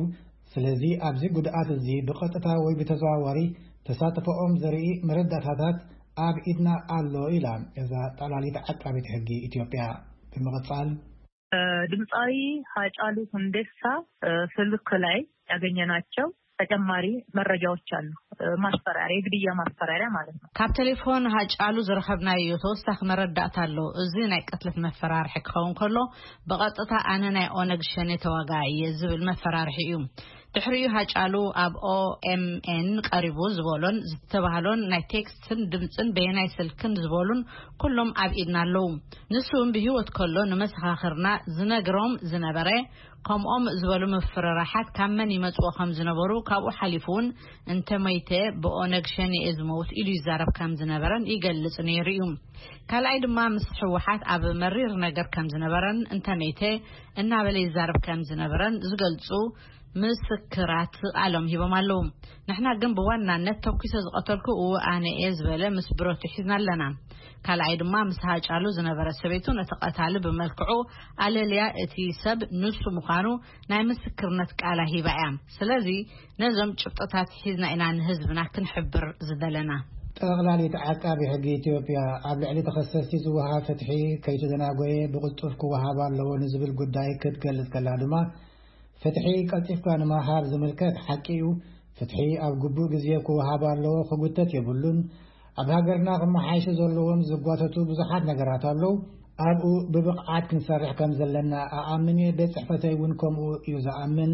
ስለዚ ኣብዚ ጉድኣት እዚ ብቐጥታ ወይ ብተዘዋዋሪ ተሳትፎኦም ዘርኢ መረዳእታታት ኣብ ኢድና ኣሎ ኢላ እዛ ጠላሊት ዓቃቢት ሕጊ ኢትዮጵያ። ብምቕጻል፣ ድምፃዊ ሃጫሉ ሁንዴሳ ስልክ ላይ ያገኘናቸው ተጨማሪ መረጃዎች አሉ። ማስፈራሪያ፣ የግድያ ማስፈራሪያ ማለት ነው። ካብ ቴሌፎን ሃጫሉ ዝረኸብናዮ ተወሳኺ መረዳእታ ኣሎ። እዚ ናይ ቅትለት መፈራርሒ ክኸውን ከሎ፣ ብቐጥታ ኣነ ናይ ኦነግ ሸኔ ተዋጋኢ እየ ዝብል መፈራርሒ እዩ። ድሕሪኡ ሃጫሉ ኣብ ኦኤምኤን ቀሪቡ ዝበሎን ዝተባህሎን ናይ ቴክስትን ድምፅን በየናይ ስልክን ዝበሉን ኩሎም ኣብ ኢድና ኣለዉ። ንሱ እውን ብህይወት ከሎ ንመሰኻኽርና ዝነግሮም ዝነበረ፣ ከምኦም ዝበሉ ምፍርራሓት ካብ መን ይመጽኡ ከም ዝነበሩ፣ ካብኡ ሓሊፉ እውን እንተ መይተ ብኦነግ ሸኔ እየ ዝመውት ኢሉ ይዛረብ ከም ዝነበረን ይገልጽ ነይሩ እዩ። ካልኣይ ድማ ምስ ህወሓት ኣብ መሪር ነገር ከም ዝነበረን እንተ መይተ እናበለ ይዛረብ ከም ዝነበረን ዝገልጹ ምስክራት ቃሎም ሂቦም ኣለዉ። ንሕና ግን ብዋናነት ተኩሰ ዝቐተልኩ እው ኣነ እየ ዝበለ ምስ ብረቱ ሒዝና ኣለና። ካልኣይ ድማ ምስ ሃጫሉ ዝነበረ ሰበይቱ ነቲ ቀታሊ ብመልክዑ ኣለልያ እቲ ሰብ ንሱ ምዃኑ ናይ ምስክርነት ቃላ ሂባ እያ። ስለዚ ነዞም ጭብጥታት ሒዝና ኢና ንህዝብና ክንሕብር ዝደለና። ጠቕላሊት ዓቃቢ ሕጊ ኢትዮጵያ ኣብ ልዕሊ ተኸሰስቲ ዝወሃብ ፍትሒ ከይተደናጎየ ብቕልጡፍ ክወሃብ ኣለዎ ንዝብል ጉዳይ ክትገልጽ ከላ ድማ፣ ፍትሒ ቀልጢፍካ ንምሃብ ዝምልከት ሓቂ እዩ። ፍትሒ ኣብ ግቡእ ግዜ ክወሃብ ኣለዎ፣ ክጉተት የብሉን። ኣብ ሃገርና ክመሓየሹ ዘለዎም ዝጓተቱ ብዙሓት ነገራት ኣለዉ። ኣብኡ ብብቕዓት ክንሰርሕ ከም ዘለና ኣኣምን እየ። ቤት ጽሕፈተይ እውን ከምኡ እዩ ዝኣምን።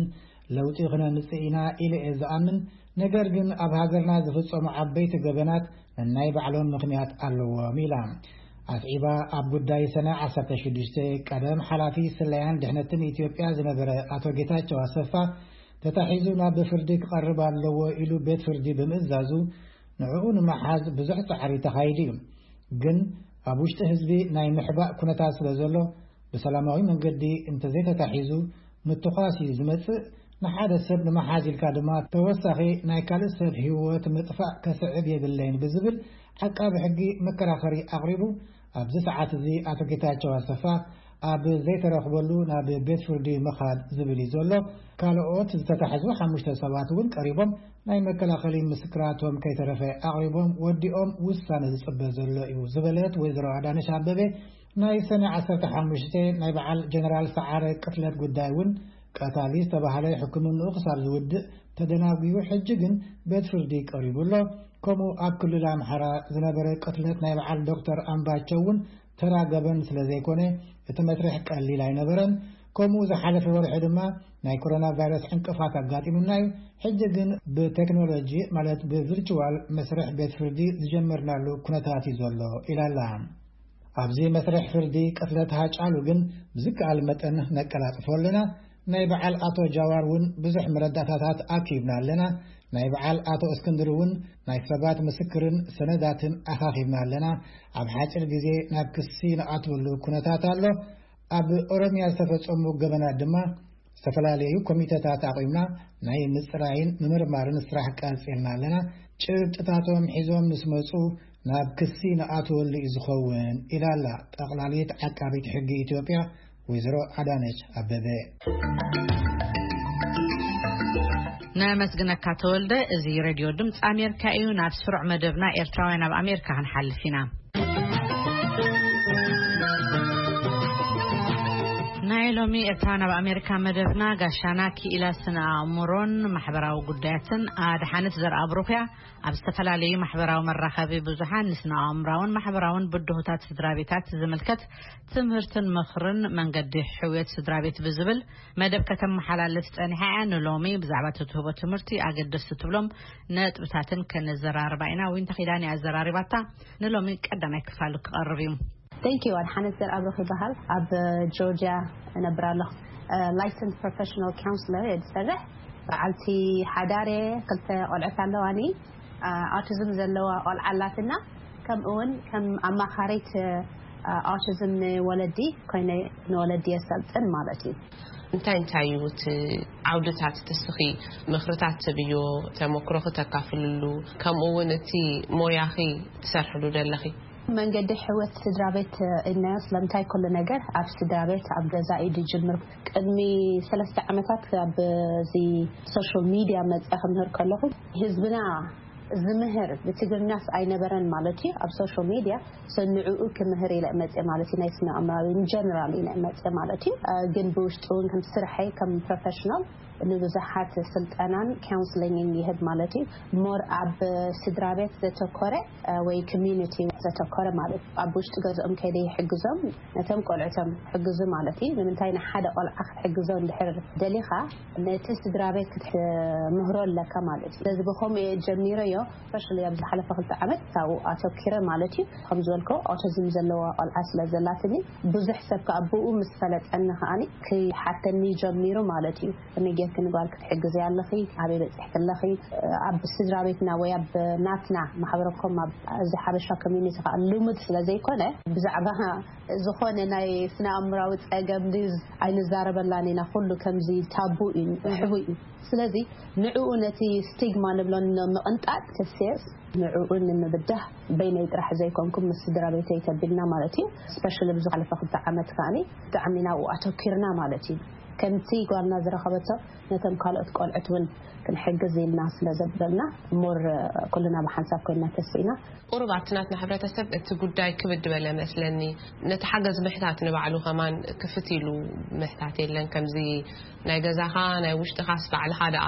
ለውጢ ክነምጽእ ኢና ኢለ እየ ዝኣምን። ነገር ግን ኣብ ሃገርና ዝፍጸሙ ዓበይቲ ገበናት ነናይ ባዕሎም ምኽንያት ኣለዎም ኢላ። ኣስዒባ ኣብ ጉዳይ ሰነ ዓሰርተ ሽዱሽተ ቀደም ሓላፊ ስለያን ድሕነትን ኢትዮጵያ ዝነበረ ኣቶ ጌታቸው ኣሰፋ ተታሒዙ ናብ ፍርዲ ክቐርብ ኣለዎ ኢሉ ቤት ፍርዲ ብምእዛዙ ንዕኡ ንምሓዝ ብዙሕ ጻዕሪ ተኻይዱ እዩ። ግን ኣብ ውሽጢ ህዝቢ ናይ ምሕባእ ኩነታት ስለ ዘሎ ብሰላማዊ መንገዲ እንተዘይተታሒዙ ምትኳስ እዩ ዝመጽእ። ንሓደ ሰብ ንምሓዝ ኢልካ ድማ ተወሳኺ ናይ ካልእ ሰብ ህይወት ምጥፋእ ከስዕብ የብለይን ብዝብል ዓቃቢ ሕጊ መከራኸሪ ኣቕሪቡ። ኣብዚ ሰዓት እዚ ኣቶ ጌታቸው ኣሰፋ ኣብ ዘይተረኽበሉ ናብ ቤት ፍርዲ ምኻድ ዝብል እዩ ዘሎ። ካልኦት ዝተታሕዙ ሓሙሽተ ሰባት እውን ቀሪቦም ናይ መከላኸሊ ምስክራቶም ከይተረፈ ኣቕሪቦም ወዲኦም ውሳነ ዝጽበ ዘሎ እዩ ዝበለት ወይዘሮ ኣዳነሽ ኣበበ፣ ናይ ሰነ ዓሰርተ ሓሙሽተ ናይ በዓል ጀነራል ሰዓረ ቅትለት ጉዳይ እውን ቀታሊ ዝተባህለ ሕክምንኡ ክሳብ ዝውድእ ተደናጒዩ፣ ሕጂ ግን ቤት ፍርዲ ቀሪቡ ኣሎ። ከምኡ ኣብ ክልል ኣምሓራ ዝነበረ ቅትለት ናይ በዓል ዶክተር ኣምባቸው እውን ተራ ገበን ስለ ዘይኮነ እቲ መስርሕ ቀሊል ኣይነበረን። ከምኡ ዝሓለፈ ወርሒ ድማ ናይ ኮሮና ቫይረስ ዕንቅፋት ኣጋጢሙና እዩ። ሕጂ ግን ብቴክኖሎጂ ማለት ብቪርቹዋል መስርሕ ቤት ፍርዲ ዝጀመርናሉ ኩነታት እዩ ዘሎ ኢላላ። ኣብዚ መስርሕ ፍርዲ ቅትለት ሃጫሉ ግን ብዝከኣል መጠን ነቀላጥፎ ኣለና። ናይ በዓል ኣቶ ጃዋር እውን ብዙሕ መረዳእታታት ኣኪብና ኣለና። ናይ በዓል ኣቶ እስክንድር እውን ናይ ሰባት ምስክርን ሰነዳትን ኣኻኺብና ኣለና። ኣብ ሓፂር ግዜ ናብ ክሲ ንኣትወሉ ኩነታት ኣሎ። ኣብ ኦሮምያ ዝተፈጸሙ ገበናት ድማ ዝተፈላለዩ ኮሚተታት ኣቑምና ናይ ምፅራይን ምምርማርን ስራሕ ቀፂልና ኣለና። ጭብጥታቶም ሒዞም ምስ መፁ ናብ ክሲ ንኣትወሉ እዩ ዝኸውን ኢላላ ጠቕላሊት ዓቃቢት ሕጊ ኢትዮጵያ ወይዘሮ ኣዳነች ኣበበ። ነመስግነካ ተወልደ። እዚ ሬድዮ ድምፂ ኣሜሪካ እዩ። ናብ ስሩዕ መደብና ኤርትራውያን ኣብ ኣሜሪካ ክንሓልፍ ኢና። ናይ ሎሚ ኤርትራውያን ኣብ ኣሜሪካ መደብና ጋሻና ክኢላ ስነ ኣእምሮን ማሕበራዊ ጉዳያትን ኣድሓነት ዘርኣብሩኽያ ኣብ ዝተፈላለዩ ማሕበራዊ መራኸቢ ብዙሓን ንስነ ኣእምራውን ማሕበራውን ብድሆታት ስድራ ቤታት ዝምልከት ትምህርትን ምኽርን መንገዲ ሕውየት ስድራ ቤት ብዝብል መደብ ከተመሓላልፍ ጸኒሓ እያ። ንሎሚ ብዛዕባ እቲ ትህቦ ትምህርቲ ኣገደስቲ ትብሎም ነጥብታትን ከነዘራርባ ኢና። ዊንታ ኪዳን እያ ኣዘራሪባታ። ንሎሚ ቀዳማይ ክፋሉ ክቐርብ እዩ። Thank you። ኣድሓነት ዘርኣብሩኽ ይበሃል። ኣብ ጆርጅያ እነብር ኣለኹ። ላይሰንስ ፕሮፌሽናል ካውንስለር እየ ዝሰርሕ። በዓልቲ ሓዳር እየ። ክልተ ቆልዑት ኣለዋኒ። ኣውቲዝም ዘለዋ ቆልዓ ኣላትና። ከምኡ እውን ከም ኣማኻሪት ኣውቲዝም ንወለዲ ኮይነ ንወለዲ የሰልጥን ማለት እዩ። እንታይ እንታይ እዩ እቲ ዓውድታት እቲ እስኺ ምኽርታት ትብዮ፣ ተመክሮኺ ተካፍልሉ፣ ከምኡ እውን እቲ ሞያኺ ትሰርሕሉ ደለኺ? መንገዲ ሕይወት ስድራ ቤት ኢልናዮ። ስለምንታይ ኩሉ ነገር ኣብ ስድራ ቤት ኣብ ገዛ እዩ ዝጅምር። ቅድሚ ሰለስተ ዓመታት ኣብ እዚ ሶሻል ሚድያ መፅኣ ክምህር ከለኹ ህዝብና ዝምህር ብትግርኛስ ኣይነበረን ማለት እዩ። ኣብ ሶሻል ሚድያ ሰንዕኡ ክምህር ኢለ መፅእ ማለት እዩ። ናይ ስነ ኣእምራዊ ጀነራል ኢለ መፅእ ማለት እዩ። ግን ብውሽጡ እውን ከም ስርሐይ ከም ፕሮፌሽናል ንብዙሓት ስልጠናን ካውንስሊንግን ይህብ ማለት እዩ። ሞር ኣብ ስድራ ቤት ዘተኮረ ወይ ኮሚዩኒቲ ዘተኮረ ማለት እዩ። ኣብ ውሽጢ ገዝኦም ከይደ ይሕግዞም። ነቶም ቆልዑቶም ሕግዙ ማለት እዩ። ንምንታይ ንሓደ ቆልዓ ክትሕግዞ እንድሕር ደሊኻ ነቲ ስድራ ቤት ክትምህሮ ኣለካ ማለት እዩ። ስለዚ ብኸምኡ እየ ጀሚረዮ። ስፔሻሊ ኣብ ዝሓለፈ ክልተ ዓመት ካብኡ ኣተኪረ ማለት እዩ። ከም ዝበልኮ ኦቲዝም ዘለዋ ቆልዓ ስለ ዘላትኒ ብዙሕ ሰብ ከኣ ብኡ ምስ ፈለጠኒ ከኣኒ ክሓተኒ ጀሚሩ ማለት እዩ። ከመይ ጌርኪ ንጓል ክትሕግዚ ኣለኺ? ኣበይ በፂሕኪ ኣለኺ? ኣብ ስድራ ቤትና ወይ ኣብ ናትና ማሕበረኮም ኣብ እዚ ሓበሻ ኮሚኒቲ ከዓ ልሙድ ስለ ዘይኮነ ብዛዕባ ዝኾነ ናይ ስነ ኣእምራዊ ፀገም ድዩ ኣይንዛረበላን ኢና። ኩሉ ከምዚ ታቡ እዩ፣ ሕቡእ እዩ። ስለዚ ንዕኡ ነቲ ስቲግማ ንብሎ ንምቕንጣጥ ክስየስ ንዕኡ ንምብዳህ በይነይ ጥራሕ ዘይኮንኩም ምስ ስድራ ቤተይ ተቢልና ማለት እዩ። ስፔሻሊ ኣብዚ ዝሓለፈ ክልተ ዓመት ከኣኒ ብጣዕሚ ናብኡ ኣተኪርና ማለት እዩ። ከምቲ ጓልና ዝረኸበቶ ነቶም ካልኦት ቆልዑት እውን ክንሕግዝ ኢልና ስለ ዘበልና ሞር ኩልና ብሓንሳብ ኮይና ተስኢና። ቁሩብ ኣብቲ ናትና ሕብረተሰብ እቲ ጉዳይ ክብድ በለ መስለኒ። ነቲ ሓገዝ ምሕታት ንባዕሉ ከማን ክፍት ኢሉ ምሕታት የለን። ከምዚ ናይ ገዛኻ ናይ ውሽጥኻስ ባዕልኻ ደኣ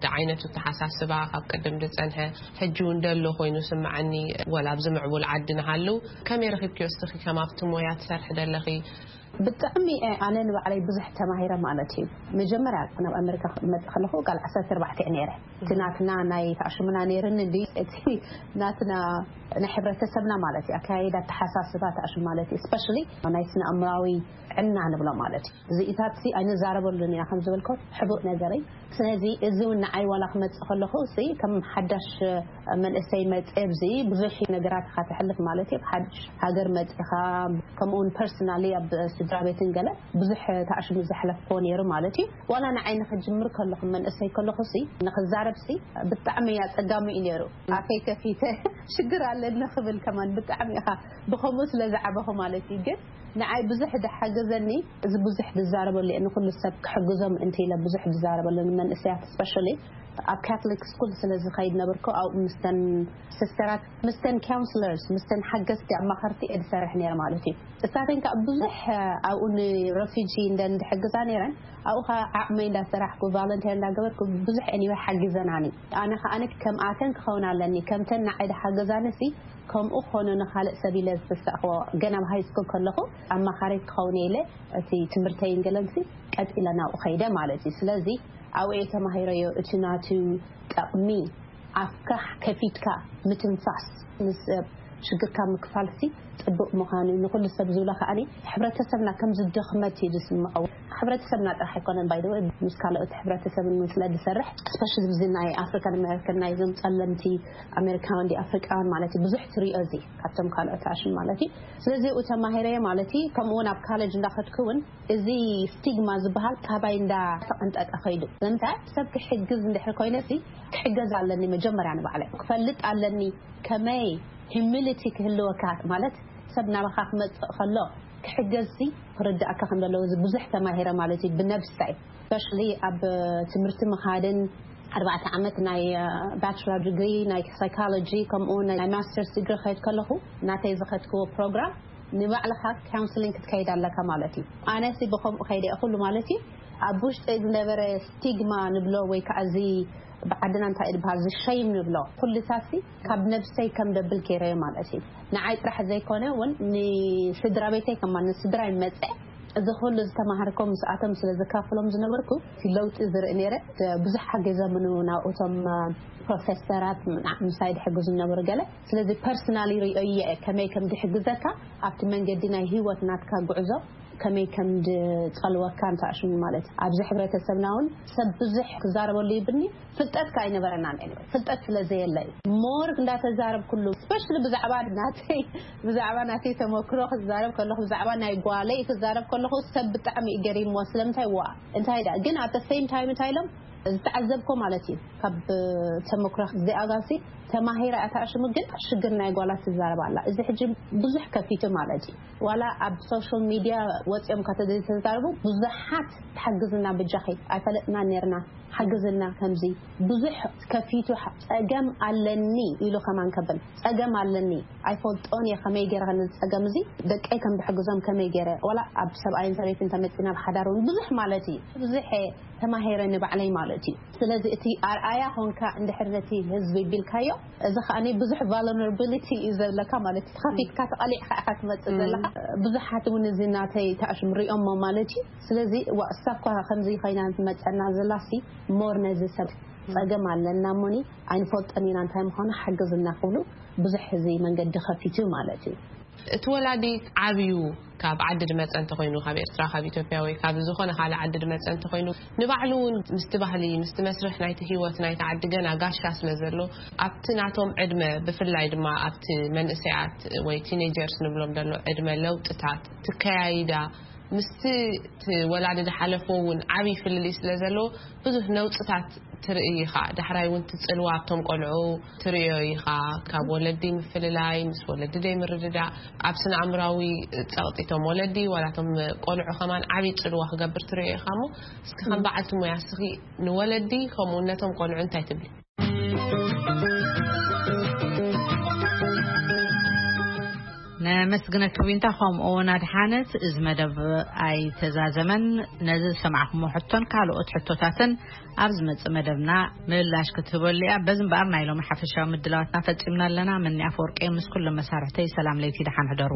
ደ ዓይነቱ ተሓሳስባ ካብ ቅድም ዝጸንሐ ሕጂ እውን ደሎ ኮይኑ ስምዓኒ። ወላ ኣብዚ ምዕቡል ዓዲ ንሃሉ ከመይ ረኺብክዮ እስኺ ከም ኣብቲ ሞያ ትሰርሒ ደለኺ? ብጣዕሚ ኣነ ንባዕለይ ብዙሕ ተማሂረ ማለት እዩ። መጀመርያ ናብ ኣሜሪካ ክመጽእ ከለኹ ቃል ዓሰርተ ኣርባዕተ እየ ነይረ። እቲ ናትና ናይ ተኣሽሙና ነይርኒ እንዲ እቲ ናትና ናይ ሕብረተሰብና ማለት እዩ ኣካያይዳ ኣተሓሳስባ ተኣሽሙ ማለት እዩ። ስፔሻሊ ናይ ስነ ኣእምራዊ ዕና ንብሎ ማለት እዩ። እዚኢታት ሲ ኣይንዛረበሉን ኢና ከም ዝበልኮ ሕቡእ ነገረይ። ስለዚ እዚ እውን ንዓይ ዋላ ክመጽእ ከለኹ ሲ ከም ሓዳሽ መንእሰይ መጽእ ኣብዚ ብዙሕ ነገራት ኢኻ ትሕልፍ ማለት እዩ። ሓድሽ ሃገር መጽእኻ ከምኡውን ፐርሰናሊ ኣብ ስድራ ቤትን ገለ ብዙሕ ተኣሽሙ ዘሕለፍኮ ነይሩ ማለት እዩ። ዋላ ንዓይ ንክጅምር ከለኹ መንእሰይ ከለኹ ሲ ንክዛረብ ሲ ብጣዕሚ ኣጸጋሚ እዩ ነይሩ። ኣፈይ ከፊተ ሽግር ኣለኒ ክብል ከማን ብጣዕሚ ኢኻ ብኸምኡ ስለ ዝዓበኹ ማለት እዩ። ግን ንዓይ ብዙሕ ዝሓገዘኒ እዚ ብዙሕ ዝዛረበሉ እየ። ንኩሉ ሰብ ክሕግዞም እንተ ኢለ ብዙሕ ዝዛረበሉ ንመንእሰያት ስፔሻሊ ኣብ ካቶሊክ ስኩል ስለ ዝኸይድ ነበርኩ። ኣብኡ ምስተን ሲስተራት ምስተን ካውንስለርስ ምስተን ሓገዝቲ ኣማኸርቲ እየ ዝሰርሕ ነይረ ማለት እዩ። እሳተን ከዓ ብዙሕ ኣብኡ ንረፊጂ እንደ እንድሕግዛ ነይረን ኣብኡ ከዓ ዓቕመይ እንዳሰራሕኩ ቫለንቲር እንዳገበርኩ ብዙሕ ኤኒወ ሓጊዘናኒ። ኣነ ከዓ ከምኣተን ክኸውን ኣለኒ ከምተን ንዓይ ዝሓገዛኒ ሲ ከምኡ ክኾኑ ንኻልእ ሰብ ኢለ ዝተሳእኽዎ ገና ኣብ ሃይ ስኩል ከለኹ ኣማኻሪት ክኸውን ኢለ እቲ ትምህርተይን ገለንሲ ቀጢለ ናብኡ ኸይደ ማለት እዩ። ስለዚ ኣብኡ እየ ተማሂረዮ እቲ ናቱ ጠቕሚ ኣፍካ ከፊትካ ምትንፋስ ምስ ሰብ ሽግርካ ምክፋልሲ ጽቡቕ ምዃኑ ንኹሉ ሰብ ዝብሎ ከዓኒ ሕብረተሰብና ከም ዝደኽመት እዩ ዝስምዖ። ሕብረተሰብና ጥራሕ ኣይኮነን ባይ ምስ ካልኦት ሕብረተሰብን ስለ ዝሰርሕ ስፔሻሊ ብዚ ናይ ኣፍሪካን ኣሜሪካን ናይ ዞም ጸለምቲ ኣሜሪካውያን ዲ ኣፍሪቃውያን ማለት እዩ ብዙሕ ትሪኦ እዚ ካብቶም ካልኦት ኣሽም ማለት እዩ። ስለዚ ኡ ተማሂረየ ማለት እዩ። ከምኡ እውን ኣብ ካለጅ እንዳኸድኩ እውን እዚ ስቲግማ ዝበሃል ካባይ እንዳ ተቐንጠጠ ኸይዱ። ንምንታይ ሰብ ክሕግዝ እንድሕር ኮይነ ሲ ክሕገዝ ኣለኒ መጀመርያ ንባዕለ ክፈልጥ ኣለኒ። ከመይ ሂሚሊቲ ክህልወካ ማለት ሰብ ናባኻ ክመጽእ ከሎ ክሕገዝ ሲ ክርዳእካ ከም ዘለዎ እዚ ብዙሕ ተማሂረ ማለት እዩ ብነብሳይ። ስፔሻሊ ኣብ ትምህርቲ ምኻድን ኣርባዕተ ዓመት ናይ ባችለር ዲግሪ ናይ ሳይኮሎጂ ከምኡ ናይ ማስተርስ ዲግሪ ከይድ ከለኹ ናተይ ዝኸድክዎ ፕሮግራም ንባዕልኻ ካውንስሊንግ ክትከይድ ኣለካ ማለት እዩ። ኣነሲ ብኸምኡ ከይደ ኩሉ ማለት እዩ ኣብ ውሽጢ ዝነበረ ስቲግማ ንብሎ ወይ ከዓ እዚ ብዓድና እንታይ ዝበሃል ዝሸይም ንብሎ ኩልታሲ ካብ ነብሰይ ከም ደብል ገይረዮ ማለት እዩ። ንዓይ ጥራሕ ዘይኮነ እውን ንስድራ ቤተይ ከማ ንስድራ ይመፀ እዚ ኩሉ ዝተማሃርኮ ምስኣቶም ስለ ዘካፍሎም ዝነበርኩ እቲ ለውጢ ዝርኢ ነይረ። ብዙሕ ሓገዘምኑ ናብኡቶም ፕሮፌሰራት ምሳይ ዝሕግዙ ዝነበሩ ገለ። ስለዚ ፐርሰናሊ ሪኦ እየ ከመይ ከም ዝሕግዘካ ኣብቲ መንገዲ ናይ ህይወት ናትካ ጉዕዞ ከመይ ከም ዝፀልወካ እንተኣሽሙ ማለት እዩ። ኣብዚ ሕብረተሰብና እውን ሰብ ብዙሕ ክዛረበሉ ይብኒ ፍልጠት ከ ኣይነበረናን። Anyway ፍልጠት ስለ ዘየለ እዩ ሞር እንዳተዛረብ ኩሉ ስፔሻሊ ብዛዕባ ናተይ ብዛዕባ ናተይ ተመክሮ ክዛረብ ከለኹ ብዛዕባ ናይ ጓለይ ክዛረብ ከለኹ ሰብ ብጣዕሚ እዩ ገሪምዎ ስለምንታይ ዋ እንታይ ዳ ግን ኣብ ሴም ታይም እንታይ ኢሎም ዝተዓዘብኮ ማለት እዩ ካብ ተመክሮ እዚኣ ጋሲ ተማሂራ እያ ተኣሽሙ ግን ሽግር ናይ ጓላት ትዛረብ ኣላ። እዚ ሕጂ ብዙሕ ከፊቱ ማለት እዩ። ዋላ ኣብ ሶሻል ሚድያ ወፂኦም ከተዘይተዛረቡ ብዙሓት ሓግዝና ብጃኺ ኣይፈለጥና ነርና ሓግዝና ከምዚ ብዙሕ ከፊቱ ጸገም ኣለኒ ኢሉ ከማን ከብል ጸገም ኣለኒ ኣይፈልጦን እየ ከመይ ገይረ ነዚ ጸገም እዚ ደቀይ ከም ዝሕግዞም ከመይ ገይረ ዋላ ኣብ ሰብኣይን ሰበይትን ተመፂና ብሓዳር እውን ብዙሕ ማለት እዩ ብዙሕ ተማሂረ ንባዕለይ ማለት እዩ። ስለዚ እቲ ኣርኣያ ኾንካ እንድሕር ነቲ ህዝቢ ቢልካዮ እዚ ከዓኒ ብዙሕ ቫልነራቢሊቲ እዩ ዘለካ ማለት እዩ። ተኸፊትካ ተቐሊዕካ ኢኻ ትመፅእ ዘለካ። ብዙሓት እውን እዚ ናተይ ተኣሽም ሪኦሞ ማለት እዩ። ስለዚ ዋ እሳ እኳ ከምዚ ኮይና ትመፀና ዘላሲ ሞር ነዚ ሰብ ፀገም ኣለና እሞኒ ኣይንፈልጦን ኢና እንታይ ምዃኑ ሓግዝና ክብሉ ብዙሕ እዚ መንገዲ ከፊቱ ማለት እዩ። እቲ ወላዲ ዓብዩ ካብ ዓዲ ድመፀ እንተኮይኑ ካብ ኤርትራ ካብ ኢትዮጵያ ወይ ካብ ዝኾነ ካልእ ዓዲ ድመፀ እንተኮይኑ ንባዕሉ እውን ምስቲ ባህሊ ምስቲ መስርሕ ናይቲ ህይወት ናይቲ ዓዲ ገና ጋሻ ስለ ዘሎ ኣብቲ ናቶም ዕድመ ብፍላይ ድማ ኣብቲ መንእሰያት ወይ ቲኔጀርስ ንብሎም ዘሎ ዕድመ ለውጥታት ትከያይዳ ምስቲ እቲ ወላዲ ዝሓለፎ እውን ዓብዪ ፍልልይ ስለ ዘለዎ ብዙሕ ነውፅታት ትርኢ ኢኻ። ዳሕራይ እውን ትፅልዋ ኣብቶም ቆልዑ ትርእዮ ኢኻ። ካብ ወለዲ ምፍልላይ፣ ምስ ወለዲ ዘይምርድዳእ፣ ኣብ ስነ ኣእምራዊ ፀቕጢ እቶም ወለዲ ዋላ እቶም ቆልዑ ከማን ዓብዪ ፅልዋ ክገብር ትርእዮ ኢኻ። እሞ እስኪ ከም በዓልቲ ሙያ እስኺ ንወለዲ ከምኡ እውን ነቶም ቆልዑ እንታይ ትብሊ? ነመስግነኪ ዊንታ። ከምኡ እውን ኣድሓነት፣ እዚ መደብ ኣይተዛዘመን። ነዚ ዝሰማዕኩሞ ሕቶን ካልኦት ሕቶታትን ኣብ ዝመጽእ መደብና ምላሽ ክትህበሉ እያ። በዚ እምበኣር ናይ ሎሚ ሓፈሻዊ ምድላዋትና ፈጺምና ኣለና። መኒ ኣፈወርቂ ምስ ኩሎም መሳርሕተይ ሰላም ለይቲ፣ ደሓን ሕደሩ።